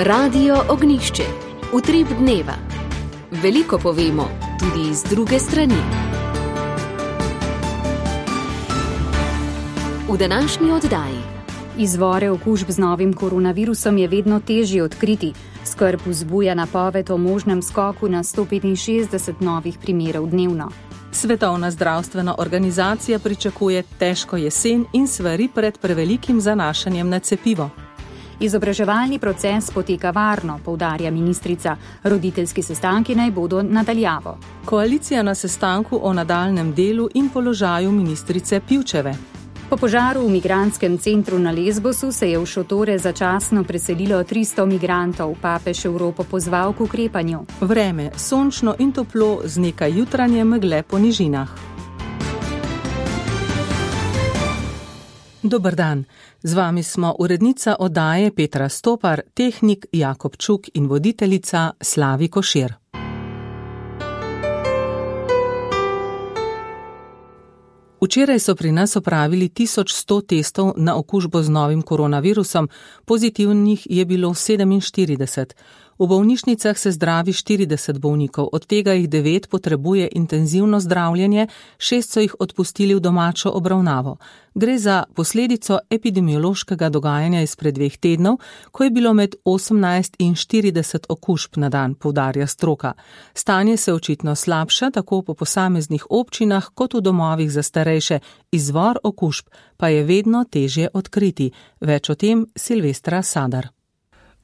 Radio Ognjišče. Utrip dneva. Veliko povemo, tudi iz druge strani. V današnji oddaji. Izvore okužb z novim koronavirusom je vedno težje odkriti. Skrb vzbuja napoved o možnem skoku na 165 novih primerov dnevno. Svetovna zdravstvena organizacija pričakuje težko jesen in svari pred prevelikim zanašanjem na cepivo. Izobraževalni proces poteka varno, poudarja ministrica. Roditeljski sestanki naj bodo nadaljavo. Koalicija na sestanku o nadaljnem delu in položaju ministrice Pivčeve. Po požaru v migrantskem centru na Lesbosu se je v šotore začasno preselilo 300 migrantov. Papež Evropo pozval k ukrepanju. Vreme, sončno in toplo z nekaj jutranje megle po nižinah. Dober dan, z vami smo urednica oddaje Petra Stopar, tehnik Jakob Čuk in voditeljica Slavi Košir. Včeraj so pri nas opravili 1100 testov na okužbo z novim koronavirusom, pozitivnih je bilo 47. V bolnišnicah se zdravi 40 bolnikov, od tega jih 9 potrebuje intenzivno zdravljenje, 6 so jih odpustili v domačo obravnavo. Gre za posledico epidemiološkega dogajanja izpred 2 tednov, ko je bilo med 18 in 40 okužb na dan, poudarja stroka. Stanje se očitno slabša tako po posameznih občinah kot v domovih za starejše. Izvor okužb pa je vedno težje odkriti. Več o tem Silvestra Sadar.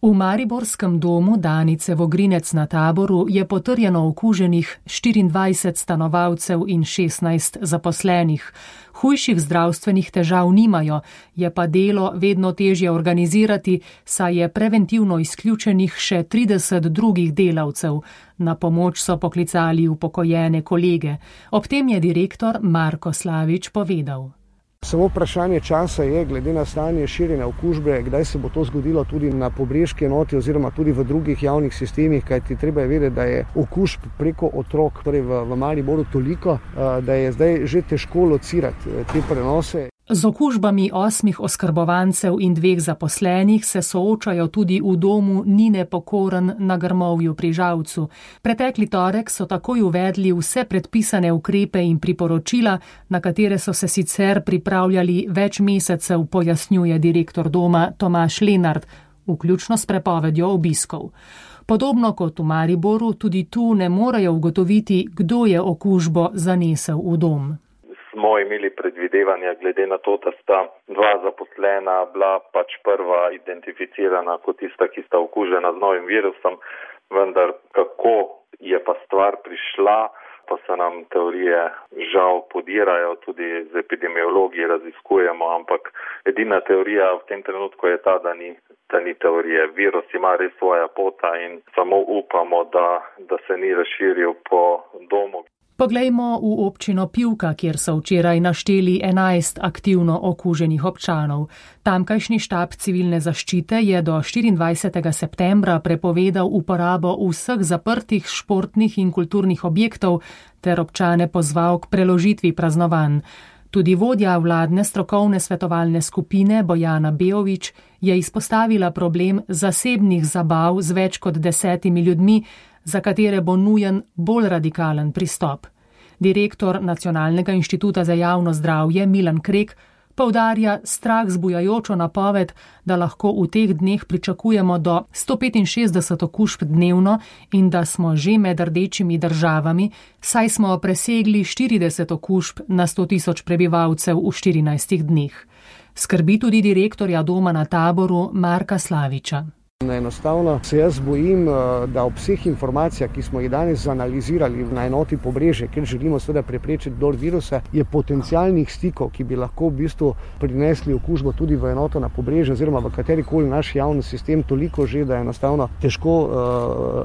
V mariborskem domu Danice Vogrinec na Taboru je potrjeno okuženih 24 stanovalcev in 16 zaposlenih. Hujših zdravstvenih težav nimajo, je pa delo vedno težje organizirati, saj je preventivno izključenih še 30 drugih delavcev. Na pomoč so poklicali upokojene kolege. Ob tem je direktor Marko Slavič povedal. Samo vprašanje časa je, glede na stanje širjenja okužbe, kdaj se bo to zgodilo tudi na pobrežki enoti oziroma tudi v drugih javnih sistemih, kajti treba je vedeti, da je okužb preko otrok, torej v Mariboru toliko, da je zdaj že težko locirati te prenose. Z okužbami 8 oskrbovancev in 2 zaposlenih se soočajo tudi v domu Nine Pokorn na Grmovju pri Žalcu. Pretekli torek so takoj uvedli vse predpisane ukrepe in priporočila, na katere so se sicer pripravljali več mesecev, pojasnjuje direktor doma Tomaž Lenart, vključno s prepovedjo obiskov. Podobno kot v Mariboru, tudi tu ne morejo ugotoviti, kdo je okužbo zanesel v dom. Smo imeli predvidevanja glede na to, da sta 2 zaposlena bila pač prva identificirana kot tista, ki sta okužena z novim virusom, vendar kako je pa stvar prišla, pa se nam teorije žal podirajo, tudi z epidemiologi raziskujemo, ampak edina teorija v tem trenutku je ta, da ni teorije. Virus ima res svoja pota in samo upamo, da se ni razširil po domu. Poglejmo v občino Pivka, kjer so včeraj našteli 11 aktivno okuženih občanov. Tamkajšnji štab civilne zaščite je do 24. septembra prepovedal uporabo vseh zaprtih športnih in kulturnih objektov ter občane pozval k preložitvi praznovanj. Tudi vodja vladne strokovne svetovalne skupine Bojana Beovič je izpostavila problem zasebnih zabav z več kot 10 ljudmi, za katere bo nujen bolj radikalen pristop. Direktor Nacionalnega inštituta za javno zdravje Milan Krek poudarja strah zbujajočo napoved, da lahko v teh dneh pričakujemo do 165 okužb dnevno in da smo že med rdečimi državami, saj smo presegli 40 okužb na 100 000 prebivalcev v 14 dneh. Skrbi tudi direktorja doma na Taboru Marka Slaviča. Enostavno se jaz bojim, da ob vseh informacijah, ki smo jih danes analizirali na enoti Pobrežje, ker želimo seveda preprečiti dor virusa, je potencialnih stikov, ki bi lahko v bistvu prinesli okužbo tudi v enoto na Pobrežje oziroma v katerikoli naš javni sistem toliko že, da je enostavno težko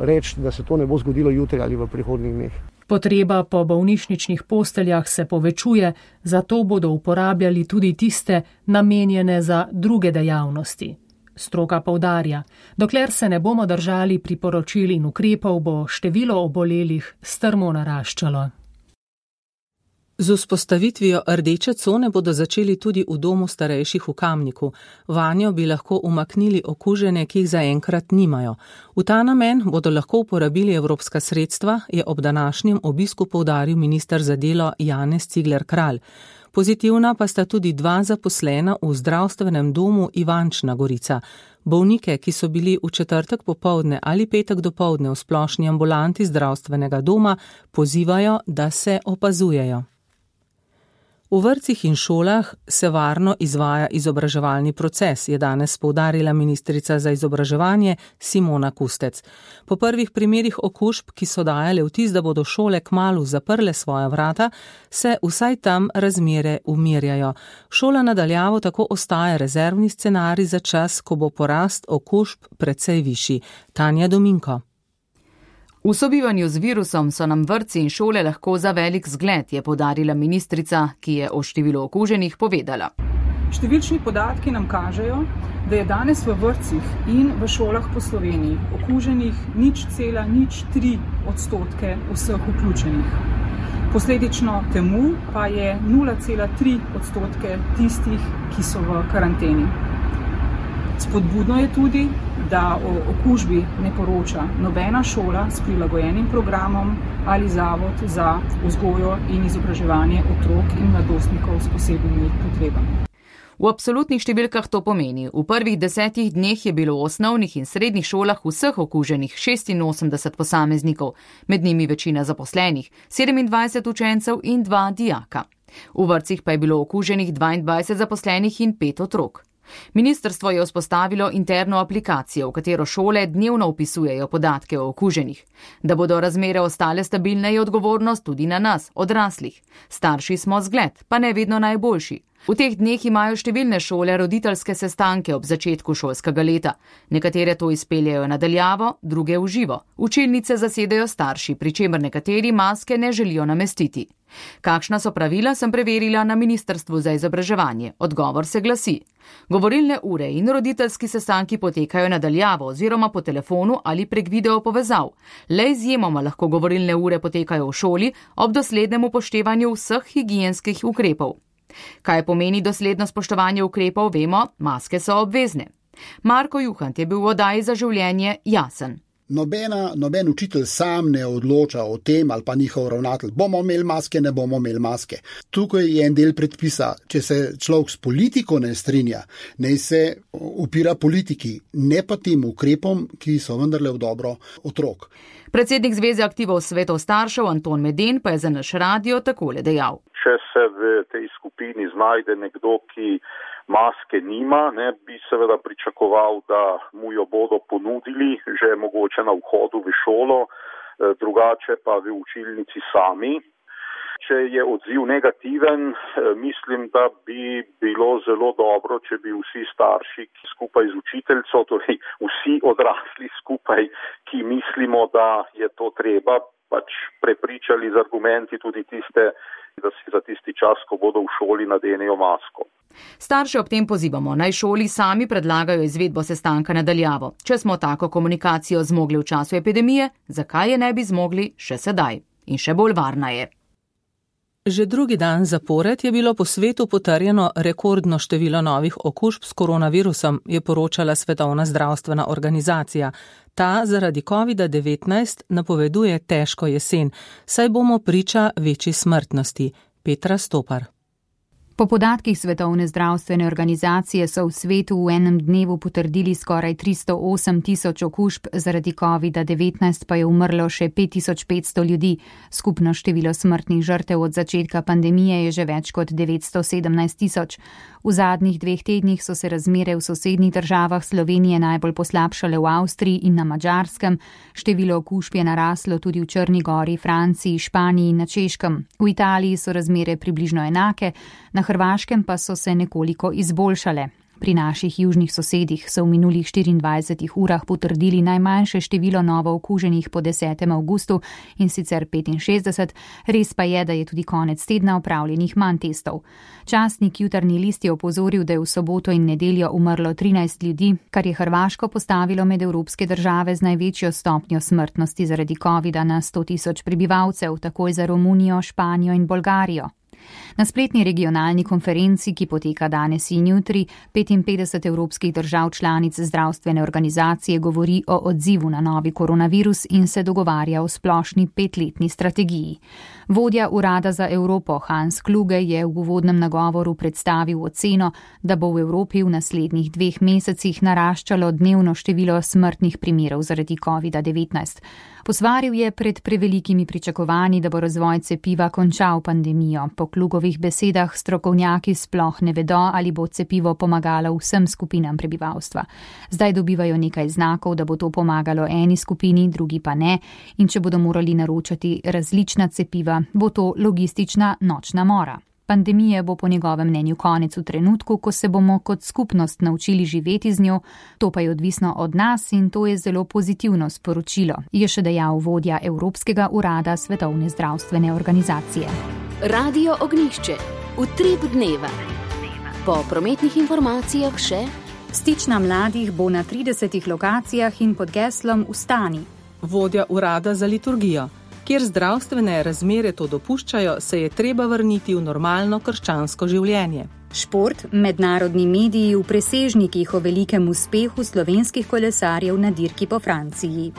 reči, da se to ne bo zgodilo jutri ali v prihodnjih dneh. Potreba po bolnišničnih posteljah se povečuje, zato bodo uporabljali tudi tiste namenjene za druge dejavnosti. Stroka poudarja, dokler se ne bomo držali priporočil in ukrepov, bo število obolelih strmo naraščalo. Z vzpostavitvijo rdeče cone bodo začeli tudi v domu starejših v Kamniku. Vanjo bi lahko umaknili okužene, ki jih zaenkrat nimajo. V ta namen bodo lahko uporabili evropska sredstva, je ob današnjem obisku poudaril minister za delo Janez Cigler Kralj. Pozitivna pa sta tudi 2 zaposlena v zdravstvenem domu Ivančna Gorica. Bolnike, ki so bili v četrtek popoldne ali petek dopoldne v splošni ambulanti zdravstvenega doma, pozivajo, da se opazujejo. V vrtcih in šolah se varno izvaja izobraževalni proces, je danes poudarila ministrica za izobraževanje Simona Kustec. Po prvih primerih okužb, ki so dajale vtis, da bodo šole kmalu zaprle svoja vrata, se vsaj tam razmere umirjajo. Šola na daljavo tako ostaja rezervni scenarij za čas, ko bo porast okužb precej višji. Tanja Dominko. V sobivanju z virusom so nam vrtci in šole lahko za velik zgled, je poudarila ministrica, ki je o številu okuženih povedala. Številčni podatki nam kažejo, da je danes v vrtcih in v šolah po Sloveniji okuženih 0,03% vseh vključenih. Posledično temu pa je 0,3% tistih, ki so v karanteni. Spodbudno je tudi, da o okužbi ne poroča nobena šola s prilagojenim programom ali zavod za vzgojo in izobraževanje otrok in mladostnikov s posebnimi potrebami. V absolutnih številkah to pomeni, v prvih 10 dneh je bilo v osnovnih in srednjih šolah vseh okuženih 86 posameznikov, med njimi večina zaposlenih, 27 učencev in 2 dijaka. V vrtcih pa je bilo okuženih 22 zaposlenih in 5 otrok. Ministrstvo je vzpostavilo interno aplikacijo, v katero šole dnevno vpisujejo podatke o okuženih. Da bodo razmere ostale stabilne, je odgovornost tudi na nas, odraslih. Starši smo zgled, pa ne vedno najboljši. V teh dneh imajo številne šole roditeljske sestanke ob začetku šolskega leta. Nekatere to izpeljajo na daljavo, druge v živo. Učilnice zasedajo starši, pri čemer nekateri maske ne želijo namestiti. Kakšna so pravila, sem preverila na Ministrstvu za izobraževanje. Odgovor se glasi: govorilne ure in roditeljski sestanki potekajo na daljavo oziroma po telefonu ali prek video povezav. Le izjemoma lahko govorilne ure potekajo v šoli ob doslednem upoštevanju vseh higienskih ukrepov. Kaj pomeni dosledno spoštovanje ukrepov, vemo, maske so obvezne. Marko Juhant je bil v oddaji Za življenje jasen. Noben učitelj sam ne odloča o tem ali pa njihov ravnatelj. Bomo imeli maske, ne bomo imeli maske. Tukaj je en del predpisa. Če se človek s politiko ne strinja, naj se upira politiki, ne pa tem ukrepom, ki so vendarle v dobro otrok. Predsednik Zveze aktivov svetov staršev Anton Meden pa je za naš radio takole dejal. Če se v tej skupini znajde nekdo, ki maske nima, bi seveda pričakoval, da mu jo bodo ponudili že mogoče na vhodu v šolo, drugače pa v učilnici sami. Če je odziv negativen, mislim, da bi bilo zelo dobro, če bi vsi starši skupaj z učiteljico, torej vsi odrasli skupaj, ki mislimo, da je to treba, prepričali z argumenti tudi tiste, da si za tisti čas, ko bodo v šoli, nadenejo masko. Starše ob tem pozivamo, naj šoli sami predlagajo izvedbo sestanka na daljavo. Če smo tako komunikacijo zmogli v času epidemije, zakaj je ne bi zmogli še sedaj? In še bolj varna je. Že drugi dan zapored je bilo po svetu potrjeno rekordno število novih okužb s koronavirusom, je poročala Svetovna zdravstvena organizacija. Ta zaradi COVID-19 napoveduje težko jesen, saj bomo priča večji smrtnosti. Petra Stopar. Po podatkih Svetovne zdravstvene organizacije so v svetu v enem dnevu potrdili skoraj 308 tisoč okužb, zaradi COVID-19 pa je umrlo še 5500 ljudi. Skupno število smrtnih žrtev od začetka pandemije je že več kot 917 tisoč. V zadnjih 2 tednih so se razmere v sosednjih državah Slovenije najbolj poslabšale v Avstriji in na Madžarskem. Število okužb je naraslo tudi v Črni Gori, Franciji, Španiji in na Češkem. V Italiji so razmere približno enake, na Hrvaškem pa so se nekoliko izboljšale. Pri naših južnih sosedih so v minulih 24 urah potrdili najmanjše število novo okuženih po 10. avgustu, in sicer 65, res pa je, da je tudi konec tedna opravljenih manj testov. Časnik Jutarnji list je opozoril, da je v soboto in nedeljo umrlo 13 ljudi, kar je Hrvaško postavilo med evropske države z največjo stopnjo smrtnosti zaradi covida na 100 tisoč prebivalcev, takoj za Romunijo, Španijo in Bolgarijo. Na spletni regionalni konferenci, ki poteka danes in jutri, 55 evropskih držav članic zdravstvene organizacije govori o odzivu na novi koronavirus in se dogovarja o splošni 5-letni strategiji. Vodja Urada za Evropo Hans Kluge je v uvodnem nagovoru predstavil oceno, da bo v Evropi v naslednjih 2 mesecih naraščalo dnevno število smrtnih primerov zaradi COVID-19. Posvaril je pred prevelikimi pričakovanji, da bo razvoj cepiva končal pandemijo. Po Klugovih besedah strokovnjaki sploh ne vedo, ali bo cepivo pomagalo vsem skupinam prebivalstva. Zdaj dobivajo nekaj znakov, da bo to pomagalo eni skupini, drugi pa ne, in če bodo morali naročati različna cepiva, bo to logistična nočna mora. Pandemije bo po njegovem mnenju konec v trenutku, ko se bomo kot skupnost naučili živeti z njo, to pa je odvisno od nas in to je zelo pozitivno sporočilo, je še dejal vodja Evropskega urada Svetovne zdravstvene organizacije. Radio Ognjišče. Utrip dneva. Po prometnih informacijah še: stična mladih bo na 30 lokacijah in pod geslom Vstani. Vodja urada za liturgijo. Kjer zdravstvene razmere to dopuščajo, se je treba vrniti v normalno krščansko življenje. Šport, mednarodni mediji v presežnikih o velikem uspehu slovenskih kolesarjev na dirki po Franciji.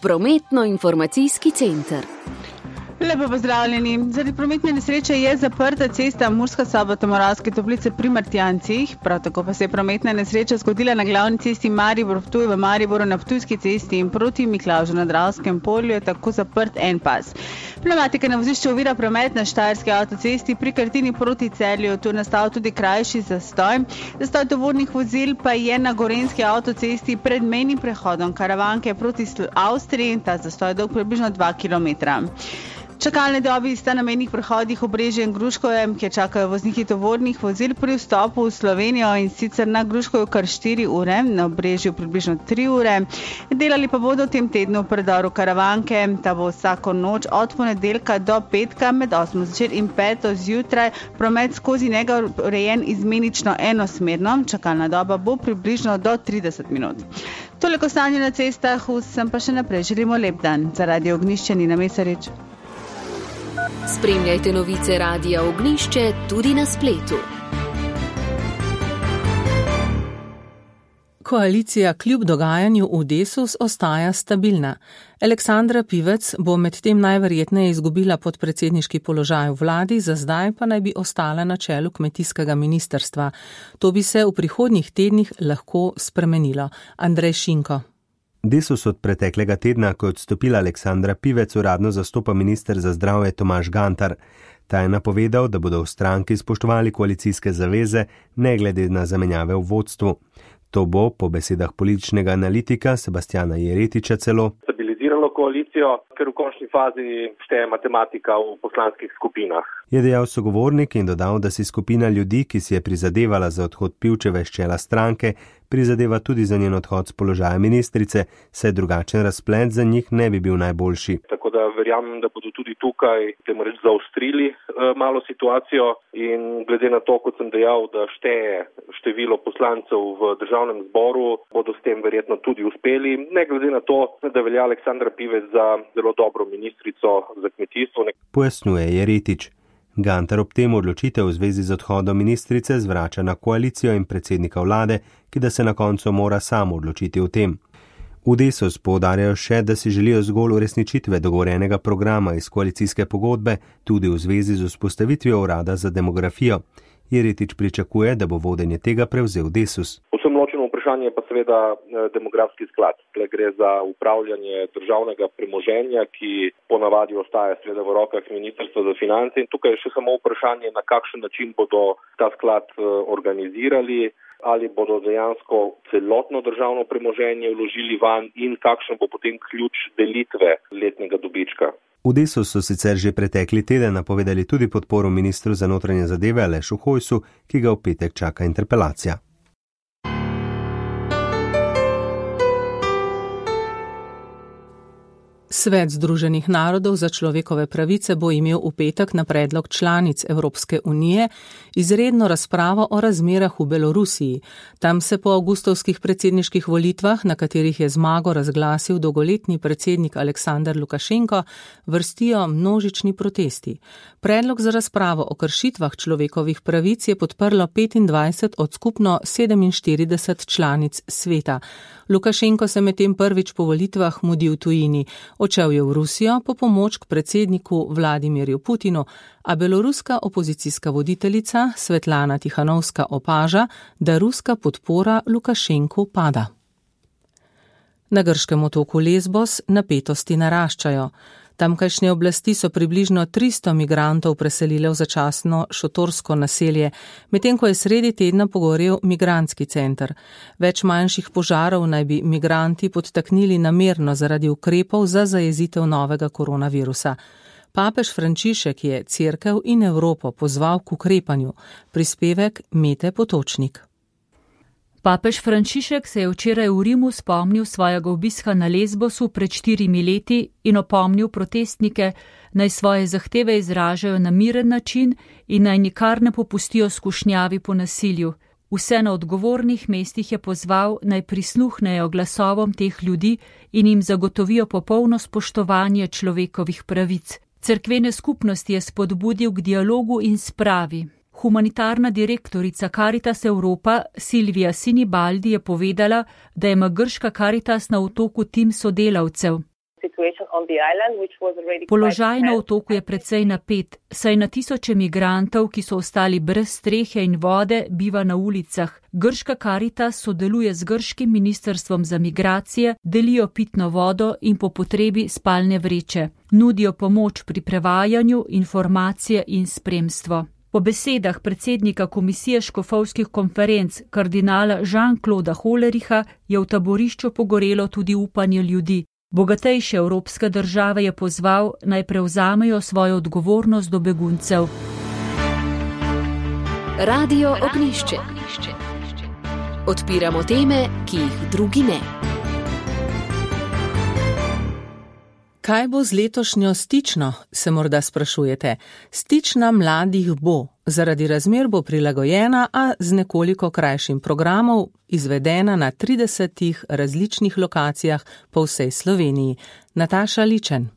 Prometno-informacijski center. Lepo pozdravljeni. Zaradi prometne nesreče je zaprta cesta Murska Sobota-Moravske Toplice pri Martjancih. Prav tako pa se je prometna nesreča zgodila na glavni cesti Maribor-Ptuj v Mariboru na Ptujski cesti in proti Miklavžu na Dravskem polju je tako zaprt en pas. Pneumatika na vozišču ovira promet na Štajerski avtocesti pri Krtini proti Celju. Tu je nastal tudi krajši zastoj. Zastoj tovornih vozil pa je na Gorenjski avtocesti pred mejnim prehodom Karavanke proti Avstriji in ta zastoj je dolg približno 2 km. Čakalne dobi sta na mejnih prehodih Obrežje in Gruškovje, kjer čakajo vozniki tovornih vozil pri vstopu v Slovenijo, in sicer na Gruškovju kar 4 ure, na Obrežju približno 3 ure. Delali pa bodo v tem tednu v predoru Karavanke, ta bo vsako noč od ponedeljka do petka med 8 zvečer in 5 zjutraj. Promet skozi njega urejen izmenično enosmerno, čakalna doba bo približno do 30 minut. Toliko stanje na cestah, vsem pa še naprej želimo lep dan. Za Radio Ognjišče Nina Mesarič. Spremljajte novice Radia Ognjišče tudi na spletu. Koalicija kljub dogajanju v Desus ostaja stabilna. Aleksandra Pivec bo medtem najverjetneje izgubila podpredsedniški položaj v vladi, za zdaj pa naj bi ostala na čelu kmetijskega ministrstva. To bi se v prihodnjih tednih lahko spremenilo. Andrej Šinko. Desus od preteklega tedna, ko je odstopila Aleksandra Pivec, uradno zastopa minister za zdravje Tomaž Gantar. Ta je napovedal, da bodo v stranki spoštovali koalicijske zaveze, ne glede na zamenjave v vodstvu. To bo, po besedah političnega analitika Sebastjana Jeretiča, celo stabiliziralo koalicijo, ker v končni fazi šteje matematika v poslanskih skupinah. Je dejal sogovornik in dodal, da si skupina ljudi, ki si je prizadevala za odhod Pivčeve s čela stranke, prizadeva tudi za njen odhod z položaja ministrice, saj drugačen razplet za njih ne bi bil najboljši. Tako da verjamem, da bodo tudi tukaj zaostrili malo situacijo in glede na to, kot sem dejal, da šteje število poslancev v državnem zboru, bodo s tem verjetno tudi uspeli, ne glede na to, da velja Aleksandra Pivec za zelo dobro ministrico za kmetijstvo. Pojasnjuje Jeretič. Gantar ob tem odločitev v zvezi z odhodom ministrice zvrača na koalicijo in predsednika vlade, ki da se na koncu mora sam odločiti o tem. V Desus poudarjajo še, da si želijo zgolj uresničitve dogovorjenega programa iz koalicijske pogodbe, tudi v zvezi z vzpostavitvijo urada za demografijo. Jeretič pričakuje, da bo vodenje tega prevzel Desus. Povsem ločeno vprašanje pa seveda demografski sklad. Tle gre za upravljanje državnega premoženja, ki ponavadi ostaja seveda v rokah Ministrstva za finance, in tukaj je še samo vprašanje, na kakšen način bodo ta sklad organizirali, ali bodo dejansko celotno državno premoženje vložili van in kakšen bo potem ključ delitve letnega dobička. V Desus so sicer že pretekli teden napovedali tudi podporo ministru za notranje zadeve Alešu Hojsu, ki ga v petek čaka interpelacija. Svet Združenih narodov za človekove pravice bo imel v petek na predlog članic Evropske unije izredno razpravo o razmerah v Belorusiji. Tam se po avgustovskih predsedniških volitvah, na katerih je zmago razglasil dolgoletni predsednik Aleksandar Lukašenko, vrstijo množični protesti. Predlog za razpravo o kršitvah človekovih pravic je podprlo 25 od skupno 47 članic sveta. Lukašenko se medtem prvič po volitvah mudi v tujini. Odšel je v Rusijo po pomoč k predsedniku Vladimirju Putinu, a beloruska opozicijska voditeljica Svetlana Tihanovska opaža, da ruska podpora Lukašenku pada. Na grškem otoku Lesbos napetosti naraščajo. Tamkajšnje oblasti so približno 300 migrantov preselile v začasno šotorsko naselje, medtem ko je sredi tedna pogorel migrantski center. Več manjših požarov naj bi migranti podtaknili namerno zaradi ukrepov za zajezitev novega koronavirusa. Papež Frančišek je Cerkev in Evropo pozval k ukrepanju. Prispevek Mete Potočnik. Papež Frančišek se je včeraj v Rimu spomnil svojega obiska na Lesbosu pred 4 leti in opomnil protestnike, naj svoje zahteve izražajo na miren način in naj nikar ne popustijo skušnjavi po nasilju. Vse na odgovornih mestih je pozval, naj prisluhnejo glasovom teh ljudi in jim zagotovijo popolno spoštovanje človekovih pravic. Cerkvene skupnosti je spodbudil k dialogu in spravi. Humanitarna direktorica Caritas Europa Silvija Sinibaldi je povedala, da ima grška Caritas na otoku tim sodelavcev. Položaj na otoku je precej napet, saj na tisoče migrantov, ki so ostali brez strehe in vode, biva na ulicah. Grška Caritas sodeluje z grškim ministrstvom za migracije, delijo pitno vodo in po potrebi spalne vreče. Nudijo pomoč pri prevajanju, informacije in spremstvo. Po besedah predsednika Komisije škofovskih konferenc kardinala Jean-Clauda Hollericha je v taborišču pogorelo tudi upanje ljudi. Bogatejše evropske države je pozval, naj prevzamejo svojo odgovornost do beguncev. Radio Ognjišče. Odpiramo teme, ki jih drugi ne. Kaj bo z letošnjo Stično, se morda sprašujete. Stična mladih bo. Zaradi razmer bo prilagojena, a z nekoliko krajšim programom, izvedena na 30 različnih lokacijah po vsej Sloveniji. Nataša Ličen.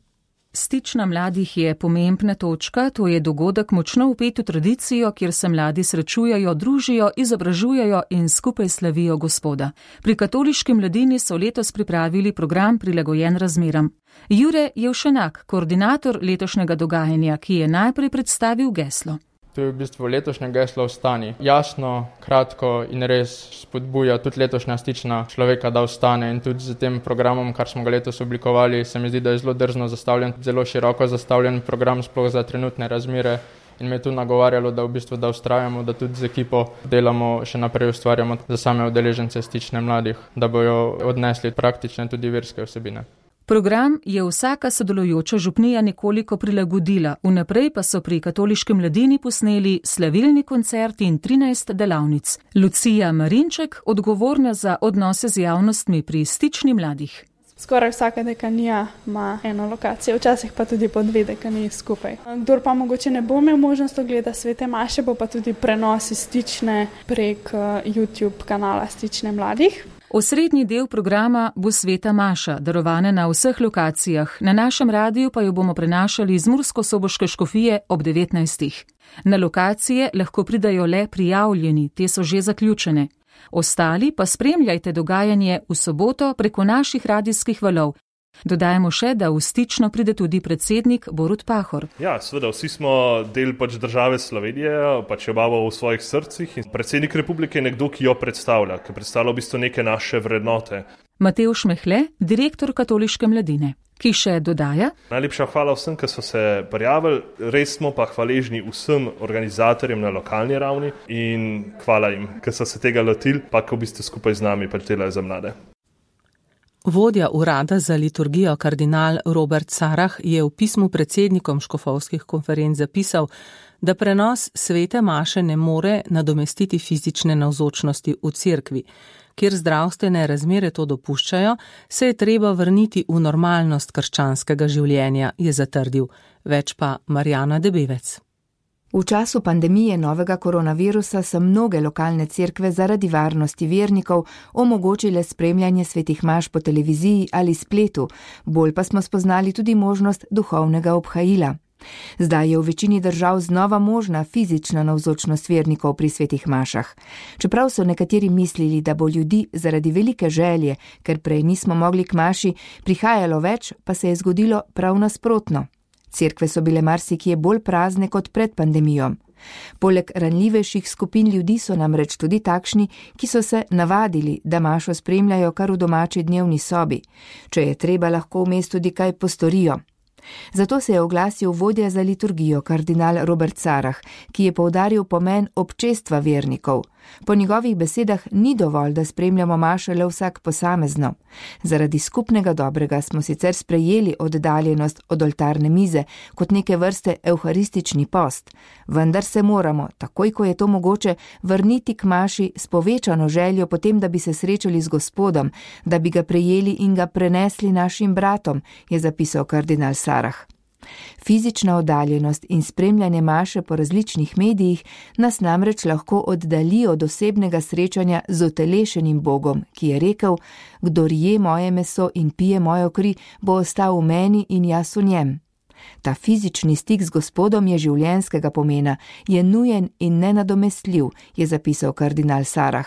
Stična mladih je pomembna točka, to je dogodek močno vpet v tradicijo, kjer se mladi srečujejo, družijo, izobražujejo in skupaj slavijo Gospoda. Pri katoliški mladini so letos pripravili program prilagojen razmeram. Jure Jevšenak, koordinator letošnjega dogajanja, ki je najprej predstavil geslo. To je v bistvu letošnje geslo Ostani. Jasno, kratko in res spodbuja tudi letošnja Stična človeka, da ostane, in tudi z tem programom, kar smo ga letos oblikovali, se mi zdi, da je zelo drzno zastavljen, zelo široko zastavljen program sploh za trenutne razmere, in me je tu nagovarjalo, da v bistvu da ustrajamo, da tudi z ekipo delamo, še naprej ustvarjamo za same udeležence Stične mladih, da bojo odnesli praktične tudi verske vsebine. Program je vsaka sodelujoča župnija nekoliko prilagodila, vnaprej pa so pri katoliški mladini posneli slavilni koncert in 13 delavnic. Lucija Marinček, odgovorna za odnose z javnostmi pri Stični mladih. Skoraj vsaka dekanija ima eno lokacijo, včasih pa tudi po 2 dekaniji skupaj. Kdor pa mogoče ne bo imel možnost ogledati svete maše, bo pa tudi prenos iz Stične prek YouTube kanala Stične mladih. Osrednji del programa bo sveta maša, darovana na vseh lokacijah. Na našem radiju pa jo bomo prenašali iz Mursko-Soboške škofije ob 19. Na lokacije lahko pridajo le prijavljeni, te so že zaključene. Ostali pa spremljajte dogajanje v soboto preko naših radijskih valov. Dodajamo še, da v Stično pride tudi predsednik Borut Pahor. Ja, seveda, vsi smo del države Slovenije, jo imamo v svojih srcih, in predsednik republike je nekdo, ki jo predstavlja, ki predstavlja v bistvu neke naše vrednote. Matevž Mehle, direktor katoliške mladine, ki še dodaja: Najlepša hvala vsem, ki so se prijavili, res smo pa hvaležni vsem organizatorjem na lokalni ravni in hvala jim, ki so se tega lotili, pa ki v bistvu skupaj z nami delajo za mlade. Vodja urada za liturgijo kardinal Robert Sarah je v pismu predsednikom škofovskih konferenc zapisal, da prenos svete maše ne more nadomestiti fizične navzočnosti v cerkvi. Kjer zdravstvene razmere to dopuščajo, se je treba vrniti v normalnost krščanskega življenja, je zatrdil. Več pa Marjana Debevec. V času pandemije novega koronavirusa so mnoge lokalne cerkve zaradi varnosti vernikov omogočile spremljanje svetih maš po televiziji ali spletu, bolj pa smo spoznali tudi možnost duhovnega obhajila. Zdaj je v večini držav znova možna fizična navzočnost vernikov pri svetih mašah. Čeprav so nekateri mislili, da bo ljudi zaradi velike želje, ker prej nismo mogli k maši, prihajalo več, pa se je zgodilo prav nasprotno. Cerkve so bile marsikje bolj prazne kot pred pandemijo. Poleg ranljivejših skupin ljudi so namreč tudi takšni, ki so se navadili, da mašo spremljajo kar v domači dnevni sobi. Če je treba, lahko vmes tudi kaj postorijo. Zato se je oglasil vodja za liturgijo kardinal Robert Sarah, ki je poudaril pomen občestva vernikov. Po njegovih besedah ni dovolj, da spremljamo mašo le vsak posamezno. Zaradi skupnega dobrega smo sicer sprejeli oddaljenost od oltarne mize kot neke vrste evharistični post, vendar se moramo, takoj ko je to mogoče, vrniti k maši s povečano željo potem, da bi se srečali z Gospodom, da bi ga prejeli in ga prenesli našim bratom, je zapisal kardinal Sarah. Fizična oddaljenost in spremljanje maše po različnih medijih nas namreč lahko oddalji od osebnega srečanja z utelešenim Bogom, ki je rekel: "Kdor je moje meso in pije mojo kri, bo ostal v meni in jaz v njem." Ta fizični stik z Gospodom je življenjskega pomena, je nujen in nenadomestljiv, je zapisal kardinal Sarah.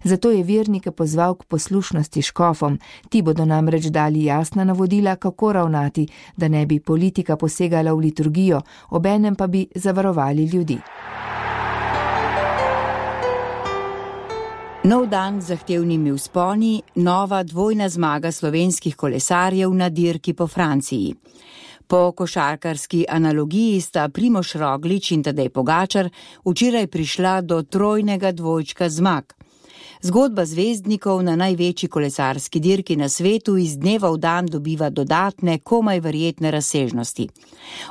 Zato je vernike pozval k poslušnosti škofom, ti bodo namreč dali jasna navodila, kako ravnati, da ne bi politika posegala v liturgijo, obenem pa bi zavarovali ljudi. Nov dan z zahtevnimi vzponi, nova dvojna zmaga slovenskih kolesarjev na dirki po Franciji. Po košarkarski analogiji sta Primož Roglič in Tadej Pogačar včeraj prišla do trojnega dvojčka zmag. Zgodba zvezdnikov na največji kolesarski dirki na svetu iz dneva v dan dobiva dodatne, komaj verjetne razsežnosti.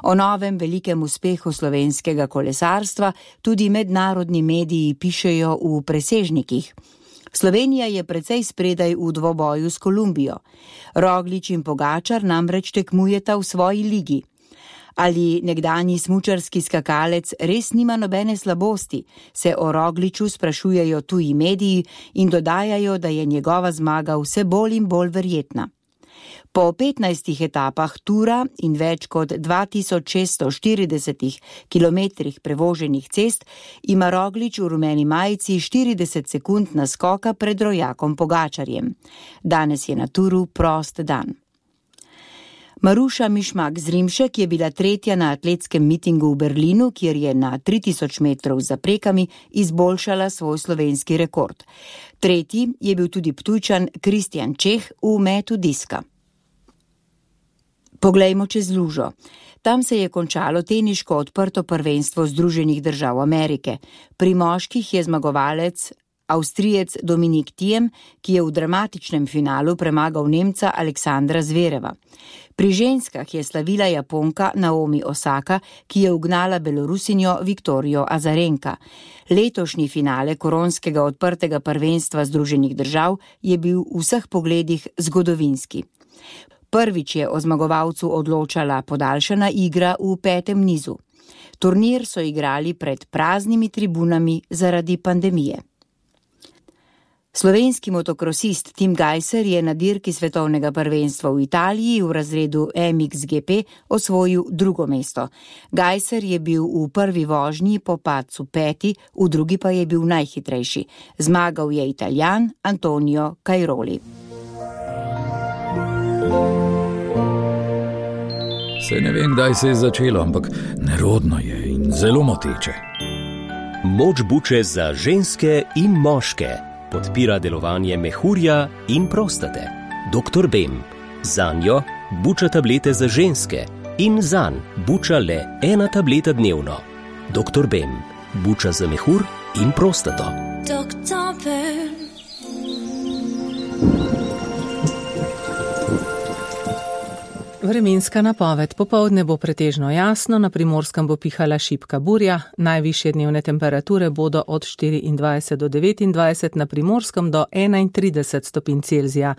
O novem velikem uspehu slovenskega kolesarstva tudi mednarodni mediji pišejo v presežnikih. Slovenija je precej spredaj v dvoboju s Kolumbijo. Roglič in Pogačar namreč tekmujeta v svoji ligi. Ali nekdanji smučarski skakalec res nima nobene slabosti, se o Rogliču sprašujejo tuji mediji in dodajajo, da je njegova zmaga vse bolj in bolj verjetna. Po 15 etapah tura in več kot 2640 kilometrih prevoženih cest ima Roglič v rumeni majici 40 sekund naskoka pred rojakom Pogačarjem. Danes je na turu prost dan. Maruša Mišmak-Zrimšek je bila tretja na atletskem mitingu v Berlinu, kjer je na 3000 metrov za prekami izboljšala svoj slovenski rekord. Tretji je bil tudi Ptujčan Kristjan Čeh v metu diska. Poglejmo čez lužo. Tam se je končalo teniško odprto prvenstvo Združenih držav Amerike. Pri moških je zmagovalec Avstrijec Dominik Thiem, ki je v dramatičnem finalu premagal Nemca Aleksandra Zvereva. Pri ženskah je slavila Japonka Naomi Osaka, ki je ugnala Belorusinjo Viktorijo Azarenka. Letošnji finale koronskega odprtega prvenstva Združenih držav je bil v vseh pogledih zgodovinski. Prvič je o zmagovalcu odločala podaljšana igra v 5. nizu. Turnir so igrali pred praznimi tribunami zaradi pandemije. Slovenski motokrosist Tim Gajser je na dirki svetovnega prvenstva v Italiji v razredu MXGP osvojil drugo mesto. Gajser je bil v prvi vožnji po padcu 5., v drugi pa je bil najhitrejši. Zmagal je Italijan Antonio Cairoli. Se ne vem, kdaj se je začelo, ampak nerodno je in zelo moteče. Moč buče za ženske in moške. Podpira delovanje mehurja in prostate. Dr. Bem. Zanjo buča tablete za ženske in zanj buča le 1 tableta dnevno. Dr. Bem. Buča za mehur in prostato. Dr. Bem. Vremenska napoved. Popoldne bo pretežno jasno, na Primorskem bo pihala šibka burja, najvišje dnevne temperature bodo od 24 do 29, na Primorskem do 31 stopinj Celzija.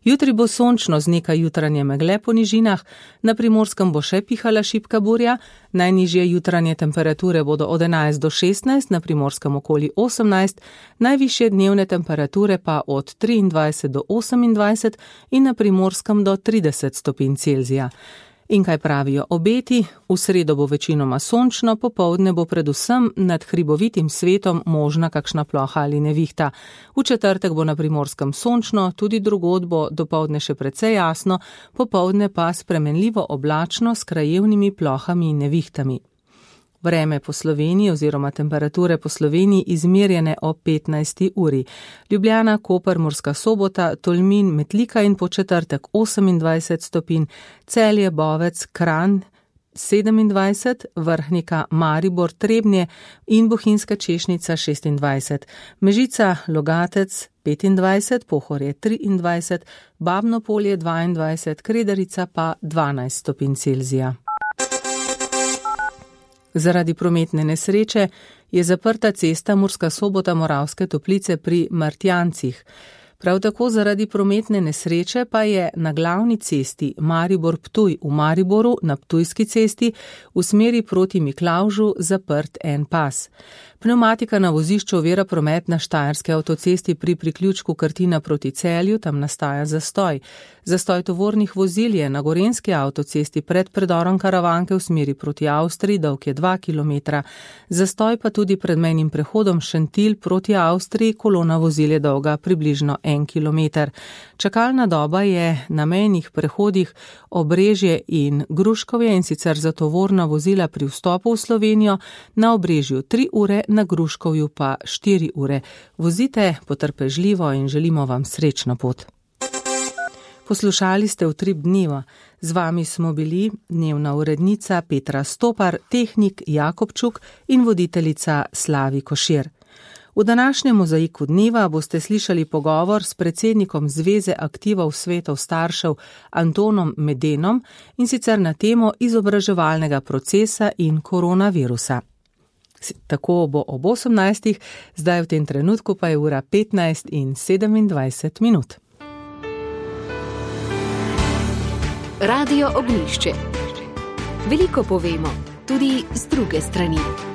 Jutri bo sončno z nekaj jutranje megle po nižinah, na Primorskem bo še pihala šibka burja, najnižje jutranje temperature bodo od 11 do 16, na Primorskem okoli 18, najvišje dnevne temperature pa od 23 do 28 in na Primorskem do 30 stopinj Celzija. In kaj pravijo obeti? V sredo bo večinoma sončno, popoldne bo predvsem nad hribovitim svetom možna kakšna ploha ali nevihta. V četrtek bo na Primorskem sončno, tudi drugod bo dopoldne še precej jasno, popoldne pa spremenljivo oblačno s krajevnimi plohami in nevihtami. Vreme po Sloveniji oziroma temperature po Sloveniji izmerjene o 15. uri. Ljubljana, Koper, Murska Sobota, Tolmin, Metlika in po četrtek 28 stopinj, Celje, Bovec, Kranj 27, Vrhnika, Maribor, Trebnje in Bohinjska Češnica 26, Mežica, Logatec 25, Pohorje 23, Babno Polje 22, Kredarica pa 12 stopinj Celzija. Zaradi prometne nesreče je zaprta cesta Murska Sobota-Moravske Toplice pri Martjancih. Prav tako zaradi prometne nesreče pa je na glavni cesti Maribor-Ptuj v Mariboru na Ptujski cesti v smeri proti Miklavžu zaprt en pas. Pneumatika na vozišču ovira promet na Štajerski avtocesti pri priključku Krtina proti Celju, tam nastaja zastoj. Zastoj tovornih vozil je na Gorenjski avtocesti pred predorom Karavanke v smeri proti Avstriji, dolg je 2 km. Zastoj pa tudi pred mejnim prehodom Šentilj proti Avstriji, kolona vozil je dolga približno 1 km. Čakalna doba je na mejnih prehodih Obrežje in Gruškovje, in sicer za tovorna vozila pri vstopu v Slovenijo, na Obrežju 3 ure, na Gruškovju pa 4 ure. Vozite potrpežljivo in želimo vam srečno pot. Poslušali ste Utrip dneva. Z vami smo bili dnevna urednica Petra Stopar, tehnik Jakobčuk in voditeljica Slavi Košir. V današnjem mozaiku dneva boste slišali pogovor s predsednikom Zveze aktivov svetov staršev Antonom Medenom, in sicer na temo izobraževalnega procesa in koronavirusa. Tako bo ob 18. Zdaj v tem trenutku pa je ura 15 in 27 minut. Radio Ognjišče. Veliko povemo, tudi z druge strani.